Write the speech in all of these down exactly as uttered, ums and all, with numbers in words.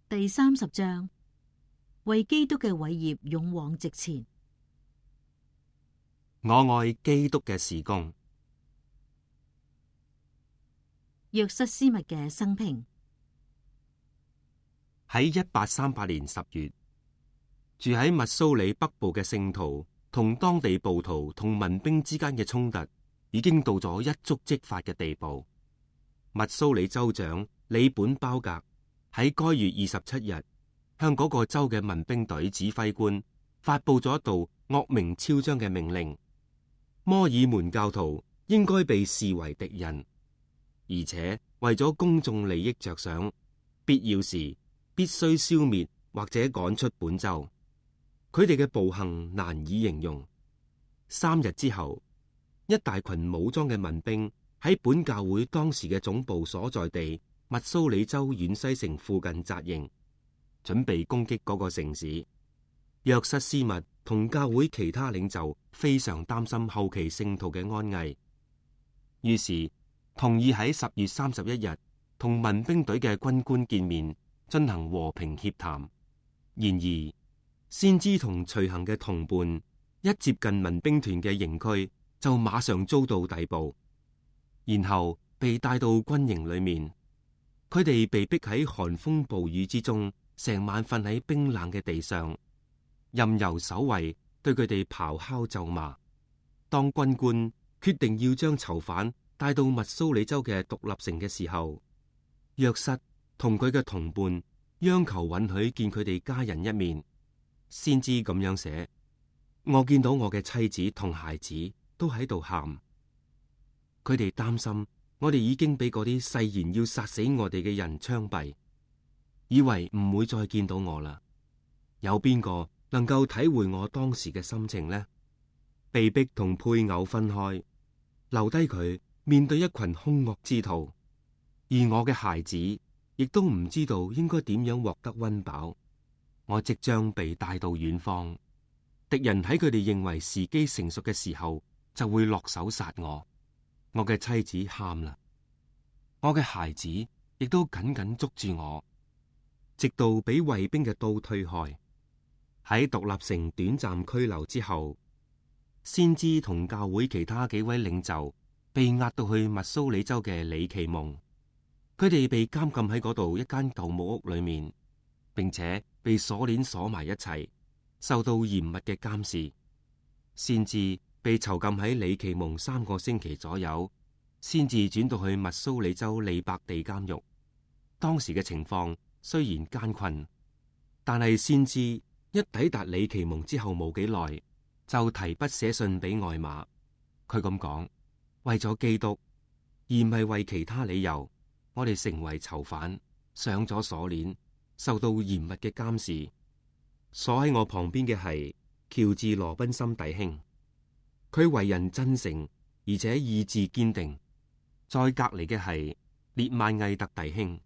第三十章，為基督嘅偉業勇往直前。我愛基督嘅事工。約瑟斯密嘅生平。喺一八三八年十月，住喺密蘇里北部嘅聖徒同當地暴徒同民兵之間嘅衝突已經到咗一觸即發嘅地步。密蘇里州長里本鮑格喺該月二十七日向嗰個州嘅民兵隊指揮官發佈咗一道惡名昭彰嘅命令：摩爾門教徒應該被視為敵人，而且為咗公眾利益着想，必要時必須消滅或者趕出本州。佢哋嘅暴行難以形容。三日之後，一大群武裝嘅民兵喺本教會當時嘅總部所在地密蘇里州遠西城附近紮營，準備攻擊嗰個城市。約瑟斯密同教會其他領袖非常擔心後期聖徒嘅安危，於是同意喺十月三十一日同民兵隊嘅軍官見面，進行和平協談。然而，先知同隨行嘅同伴一接近民兵團嘅營區，就馬上遭到逮捕，然後被帶到軍營裏面。佢哋被逼喺寒風暴雨之中，成晚瞓喺冰冷嘅地上，任由守衛對佢哋咆哮咒罵。當軍官決定要將囚犯帶到密蘇里州嘅獨立城嘅時候，約瑟同佢嘅同伴央求允許見佢哋家人一面。先知咁樣寫：我見到我嘅妻子同孩子都喺度喊，佢哋擔心我哋已經俾嗰啲誓言要殺死我哋嘅人槍斃，以為唔會再見到我啦。有邊個能夠體會我當時嘅心情呢？被逼同配偶分開，留低佢面對一群兇惡之徒，而我嘅孩子亦都唔知道應該點樣獲得溫飽。我即將被帶到遠方，敵人喺佢哋認為時機成熟嘅時候，就會落手殺我。我嘅妻子喊啦，我嘅孩子亦都緊緊捉住我，直到俾衛兵嘅刀推開。喺獨立城短暫拘留之後，先知同教會其他幾位領袖被押到去密蘇里州嘅里奇蒙，佢哋被監禁喺嗰度一間舊木屋裏面，並且被鎖鏈鎖埋一齊，受到嚴密嘅監視。先至被囚禁喺里奇蒙三個星期左右，先至轉到去密蘇里州利伯地監獄。當時嘅情況雖然艱困，但係先知一抵達里奇蒙之後冇幾耐，就提筆寫信俾外馬。佢咁講：為咗基督，而唔係為其他理由，我哋成為囚犯，上咗鎖鏈，受到嚴密嘅監視。坐喺我旁邊嘅係喬治羅賓森弟兄，佢為人真誠，而且意志堅定。再隔籬嘅係列曼毅特弟兄、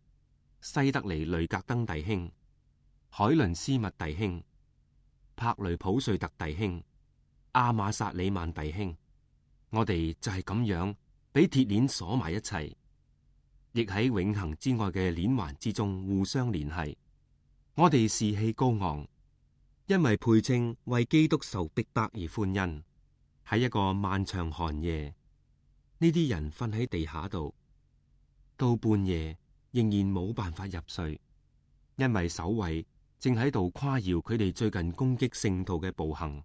西德尼雷格登弟兄、海倫斯密弟兄、柏雷普瑞特弟兄、阿馬薩里曼弟兄。我哋就係咁樣俾鐵鏈鎖埋一齊，亦喺永恆之外嘅鏈環之中互相聯繫。我哋士氣高昂，因為配稱為基督受逼迫而歡欣。喺一個漫長寒夜，呢啲人瞓喺地下度，到半夜仍然冇辦法入睡，因為守衛正喺度誇耀佢哋最近攻擊聖徒嘅暴行，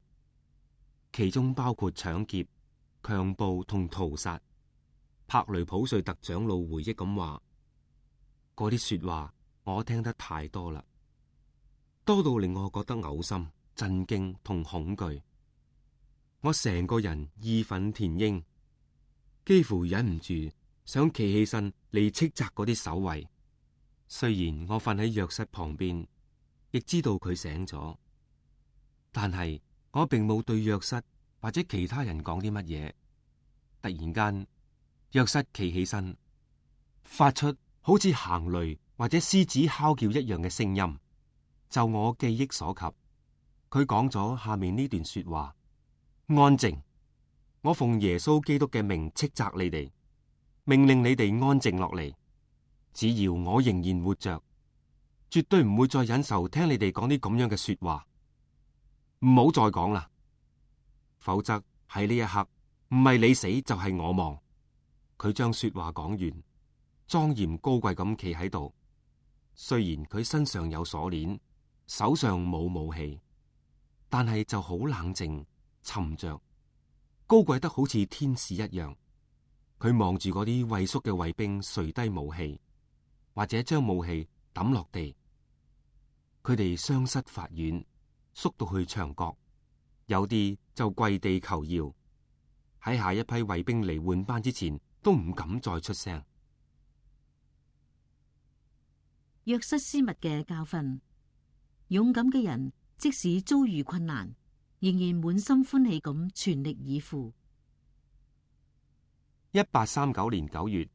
其中包括搶劫、強暴同屠殺。柏雷普瑞特長老回憶咁話：嗰啲說話我聽得太多啦，多到令我覺得嘔心、震驚同恐懼。我成個人義憤填膺，幾乎忍唔住想企起身嚟斥責嗰啲守衛。雖然我瞓喺約瑟旁邊，亦知道佢醒咗，但係我並冇對約瑟或者其他人講啲乜嘢。突然間，約瑟企起身，發出好似行雷或者獅子哮叫一樣嘅聲音。就我記憶所及，佢講咗下面呢段說話：安靜！我奉耶穌基督嘅名斥責你哋，命令你哋安靜落嚟。只要我仍然活着，絕對唔會再忍受聽你哋講啲咁樣嘅說話，唔好再講啦，否則喺呢一刻唔係你死就係我亡。佢將說話講完，莊嚴高貴咁企喺度。雖然佢身上有鎖鏈，手上冇武器，但係就好冷靜沉着，高貴得好似天使一樣。佢望住嗰啲畏縮嘅衛兵垂低武器，或者將武器抌落地。佢哋雙膝發軟，縮到去牆角，有啲就跪地求饒。喺下一批衛兵嚟換班之前，都唔敢再出聲。約瑟斯密嘅教訓：勇敢嘅人即使遭遇困難，仍然滿心歡喜咁全力以赴。一八三九年九月，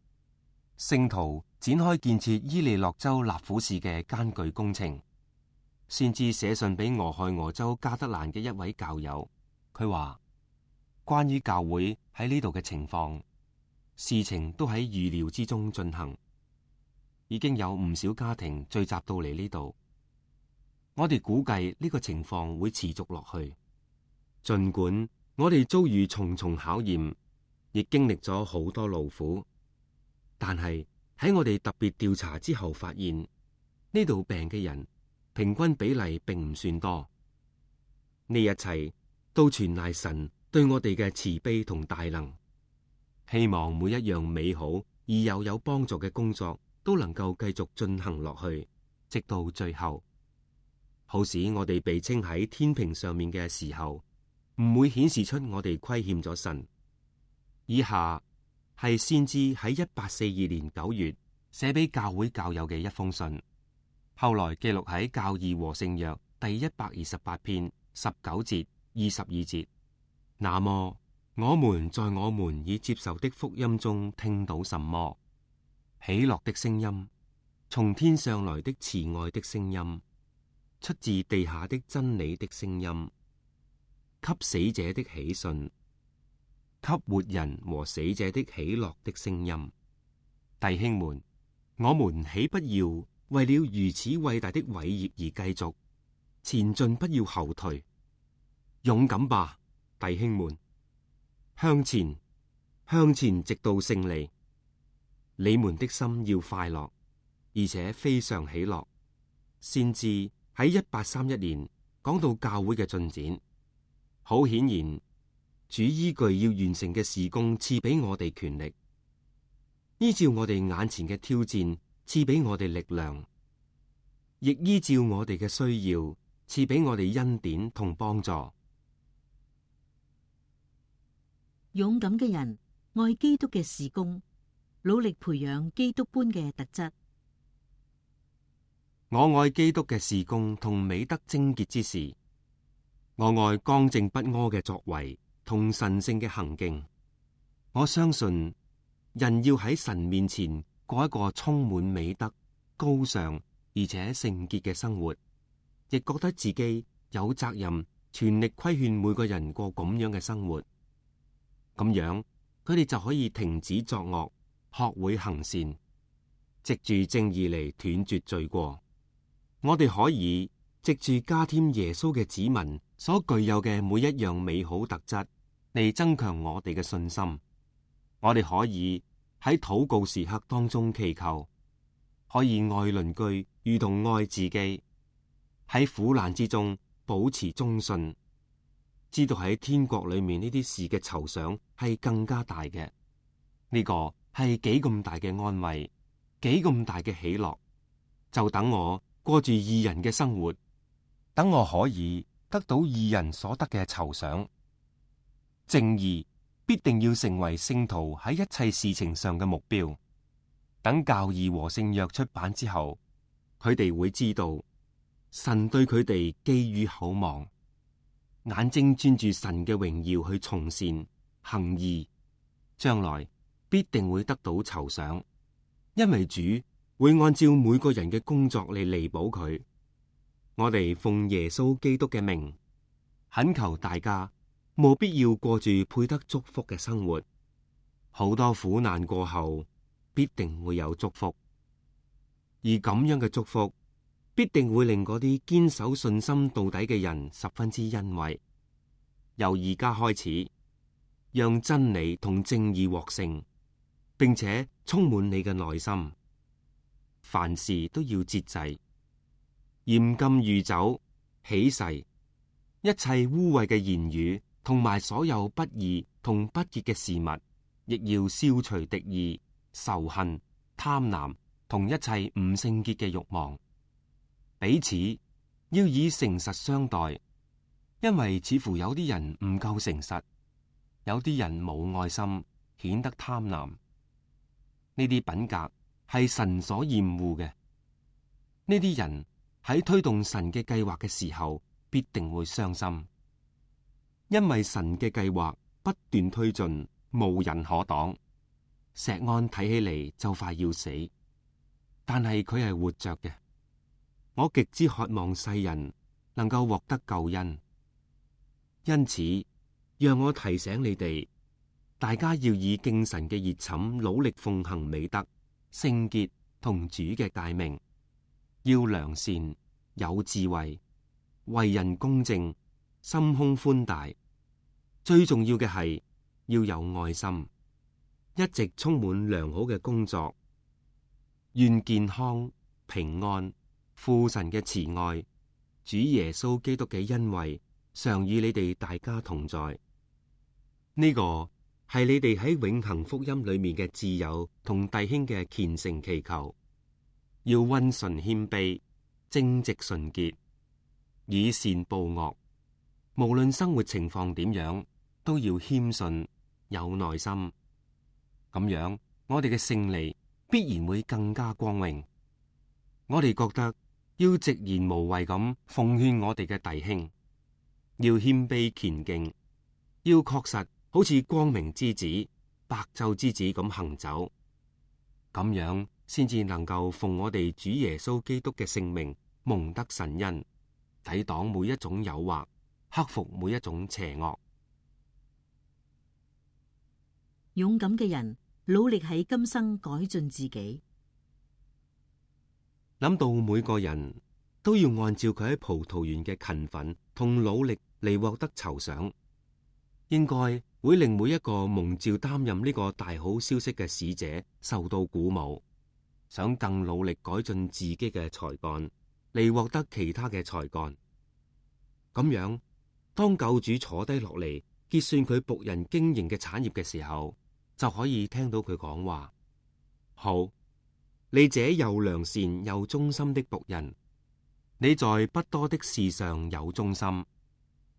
聖徒展開建設伊利諾州納府市嘅艱巨工程。先至寫信俾俄亥俄州加德蘭嘅一位教友，佢話關於教會喺呢度嘅情況，事情都喺預料之中進行。已經有唔少家庭聚集到嚟呢度，我哋估計呢個情況會持續落去。盡管我哋遭遇重重考驗，亦經歷咗好多勞苦，但係喺我哋特別調查之後發現，呢度病嘅人平均比例並唔算多。呢一切都全賴神對我哋嘅慈悲同大能。希望每一樣美好而又有幫助嘅工作都能夠繼續進行落去，直到最後，好使我哋被稱喺天平上面嘅時候，唔會顯示出我哋虧欠咗神。以下係先知喺一八四二年九月寫俾教會教友嘅一封信，後來記錄喺教義和聖約第一百二十八篇十九節、二十二節。那麼我們在我們已接受的福音中聽到什麼？喜樂的聲音，從天上來的慈愛的聲音，出自地下的真理的聲音，給死者的喜訊，給活人和死者的喜樂的聲音。弟兄們，我們豈不要為了如此偉大的偉業而繼續前進，不要後退，勇敢吧，弟兄們，向前，向前，直到勝利。你們的心要快樂，而且非常喜樂。先知喺一八三一年講到教會嘅進展，好顯然，主依據要完成嘅事工賜俾我哋權力，依照我哋眼前嘅挑戰賜俾我哋力量，亦依照我哋嘅需要賜俾我哋恩典同幫助。勇敢嘅人愛基督嘅事工，努力培養基督般嘅特質。我愛基督嘅事工同美德貞潔之事，我愛剛正不阿嘅作為同神聖嘅行徑。我相信人要喺神面前過一個充滿美德、高尚而且聖潔嘅生活，亦覺得自己有責任全力規勸每個人過咁樣嘅生活。咁樣佢哋就可以停止作惡，學會行善，藉住正義嚟斷絕罪過。我哋可以藉住加添耶穌嘅子民所具有嘅每一樣美好特質嚟增強我哋嘅信心。我哋可以喺禱告時刻當中祈求，可以愛鄰居如同愛自己，喺苦難之中保持忠信，知道喺天國裏面呢啲事嘅酬賞係更加大嘅。呢個係幾咁大嘅安慰，幾咁大嘅喜樂。就等我過住義人嘅生活，等我可以得到義人所得嘅酬賞。正義必定要成為聖徒喺一切事情上嘅目標。等教義和聖約出版之後，佢哋會知道神對佢哋寄予厚望，眼睛專注神嘅榮耀去從善行義，將來必定會得到酬賞，因為主會按照每個人嘅工作嚟彌補佢。我哋奉耶穌基督嘅名，懇求大家務必要過住配得祝福嘅生活。好多苦難過後，必定會有祝福，而咁樣嘅祝福必定會令嗰啲堅守信心到底嘅人十分之欣慰。由而家開始，讓真理同正義獲勝，並且充滿你嘅內心。凡事都要節制，嚴禁酗酒、起誓，一切污穢嘅言語，同埋所有不義同不潔嘅事物，亦要消除敵意、仇恨、貪婪同一切唔聖潔嘅慾望。彼此要以誠實相待，因為似乎有啲人唔夠誠實，有啲人冇愛心，顯得貪婪。呢啲品格係神所厭惡嘅。呢啲人喺推動神嘅計劃嘅時候，必定會傷心，因為神嘅計劃不斷推進，無人可擋。石安睇起嚟就快要死，但係佢係活着嘅。我極之渴望世人能夠獲得救恩，因此讓我提醒你哋，大家要以敬神嘅熱忱努力奉行美德、聖潔同主嘅誡命，要良善、有智慧、為人公正、心胸寬大。最重要嘅係要有愛心，一直充滿良好嘅工作。願健康、平安、父神嘅慈愛、主耶穌基督嘅恩惠，常與你哋大家同在。呢、這個係你哋喺永恆福音裏面嘅摯友同弟兄嘅虔誠祈求。要溫順謙卑、正直純潔，以善報惡。無論生活情況點樣，都要謙遜、有耐心。咁樣，我哋嘅勝利必然會更加光榮。我哋覺得要直言無畏咁奉勸我哋嘅弟兄，要謙卑虔敬，要確實好似光明之子、白晝之子咁行走，咁樣先至能夠奉我哋主耶穌基督嘅聖名蒙得神恩，抵擋每一種誘惑，克服每一種邪惡。勇敢嘅人努力喺今生改進自己。諗到每個人都要按照佢喺葡萄園嘅勤奮同努力嚟獲得酬賞，應該會令每一個蒙召擔任呢個大好消息嘅使者受到鼓舞，想更努力改進自己嘅才幹嚟獲得其他嘅才幹。咁樣，當救主坐低落嚟結算佢僕人經營嘅產業嘅時候，就可以聽到佢講話：好，你這又良善又忠心的僕人，你在不多的事上有忠心，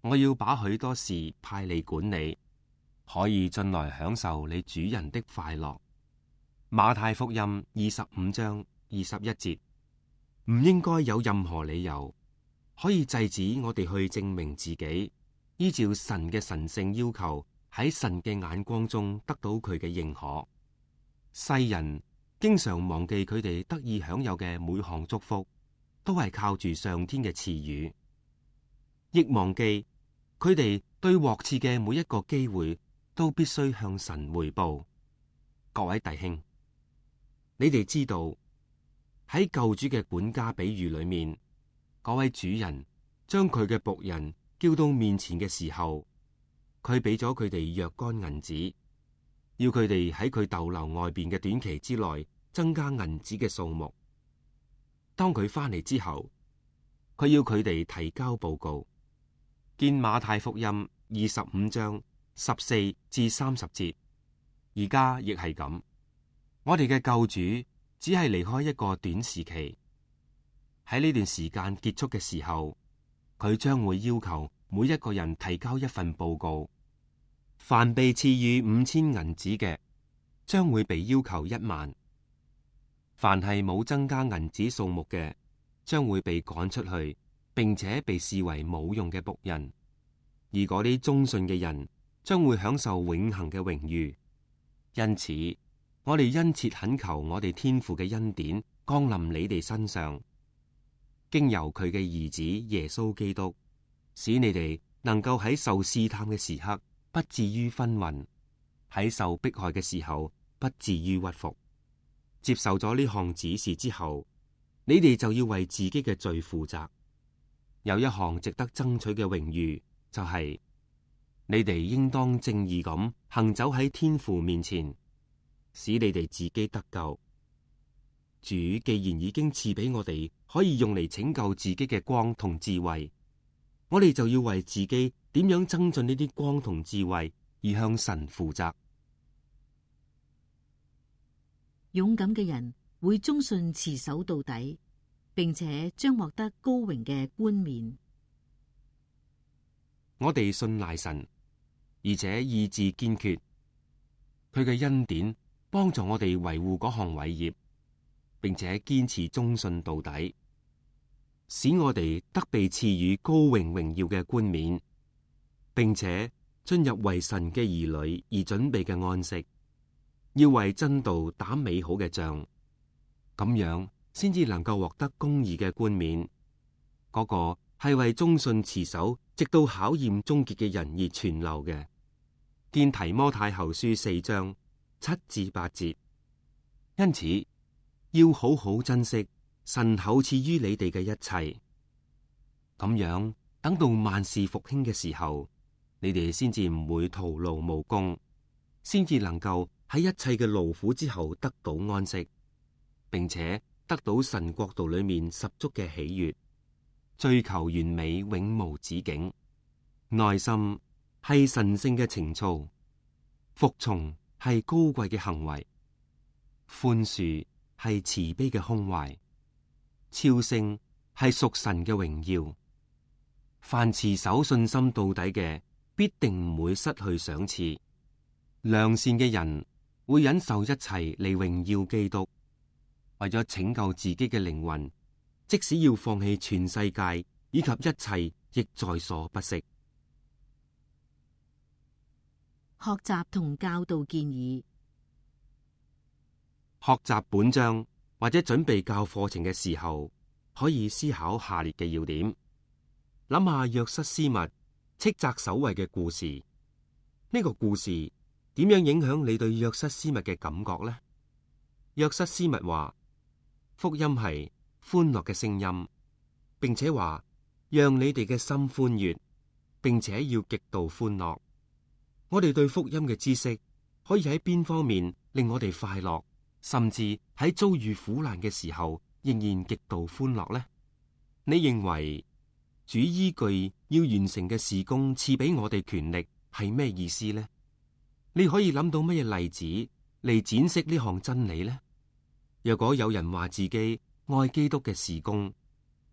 我要把許多事派你管理，可以進來享受你主人的快樂。馬太福音二十五章二十一節。唔應該有任何理由可以制止我哋去證明自己，依照神嘅神聖要求，喺神嘅眼光中得到佢嘅認可。世人經常忘記佢哋得以享有嘅每項祝福，都係靠住上天嘅賜予，亦忘記佢哋對獲賜嘅每一個機會都必須向神回報。各位弟兄，你哋知道喺救主嘅管家比喻裏面，嗰位主人將佢嘅僕人叫到面前嘅時候，佢俾咗佢哋若干銀子，要佢哋喺佢逗留外邊嘅短期之內增加銀子嘅數目。當佢翻嚟之後，佢要佢哋提交報告。見馬太福音二十五章十四至三十節。而家亦係咁，我哋嘅救主只係離開一個短時期，喺呢段時間結束嘅時候，佢將會要求每一個人提交一份報告。凡被賜予五千銀子嘅，將會被要求一萬；凡係冇增加銀子數目嘅，將會被趕出去，並且被視為冇用嘅僕人。而嗰啲忠信嘅人，將會享受永恆嘅榮譽。因此，我哋殷切懇求我哋天父嘅恩典降臨你哋身上，經由佢嘅兒子耶穌基督，使你哋能夠喺受試探嘅時刻不至於昏暈，喺受迫害嘅時候不至於屈服。接受咗呢項指示之後，你哋就要為自己嘅罪負責。有一項值得爭取嘅榮譽，就係、是、你哋應當正義咁行走喺天父面前，使你哋自己得救。主既然已經賜俾我哋可以用嚟拯救自己嘅光同智慧，我哋就要為自己點樣增進呢啲光同智慧而向神負責。勇敢嘅人會忠信持守到底，並且將獲得高榮嘅冠冕。我哋信賴神，而且意志堅決，佢嘅恩典幫助我哋維護嗰項偉業，並且堅持忠信到底，使我哋得被賜予高榮榮耀嘅冠冕，並且進入為神嘅兒女而準備嘅安息。要為真道打美好嘅仗，咁樣先至能夠獲得公義嘅冠冕。嗰、那個係為忠信持守直到考驗終結嘅人而存留嘅。見提摩太後書四章七至八節。因此要好好珍惜神厚賜於你哋嘅一切，咁樣等到萬事復興嘅時候，你哋先至唔會徒勞無功，先至能夠喺一切嘅勞苦之後得到安息，並且得到神國度裏面十足嘅喜悅，追求完美永無止境。耐心係神聖嘅情操，服從係高貴嘅行為，寬恕係慈悲嘅胸懷，超勝係屬神嘅榮耀。凡持守信心到底嘅，必定唔會失去賞賜。良善嘅人會忍受一切嚟榮耀基督，為咗拯救自己嘅靈魂，即使要放棄全世界以及一切，亦在所不惜。學習同教導建議。學習本章或者準備教課程嘅時候，可以思考下列嘅要點。諗下約瑟斯密斥責守衛嘅故事，呢、這個故事點樣影響你對約瑟斯密嘅感覺呢？約瑟斯密話福音係歡樂嘅聲音，並且話讓你哋嘅心歡悅，並且要極度歡樂。我哋對福音嘅知識可以喺邊方面令我哋快樂，甚至喺遭遇苦難嘅時候仍然極度歡樂呢？你認為主依據要完成嘅事工賜俾我哋權力係咩意思呢？你可以諗到乜嘢例子嚟展示呢項真理呢？若果有人話自己愛基督嘅事工，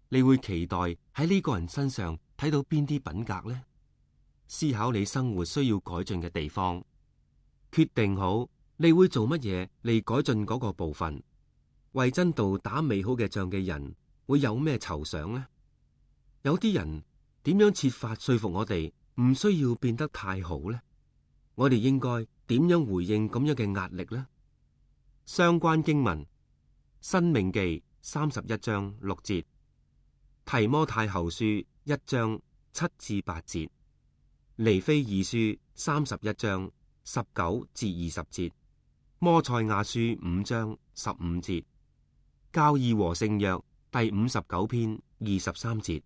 你會期待喺呢個人身上睇到邊啲品格呢？思考你生活需要改進嘅地方，決定好你會做乜嘢嚟改進嗰個部分。為真道打美好嘅仗嘅人會有咩酬賞呢？有啲人點樣設法說服我哋唔需要變得太好呢？我哋應該點樣回應咁樣嘅壓力呢？相關經文：申命記三十一章六節，提摩太後書一章七至八節，尼非二書三十一章十九至二十節，摩賽亞書五章十五節，教義和聖約第五十九篇二十三節。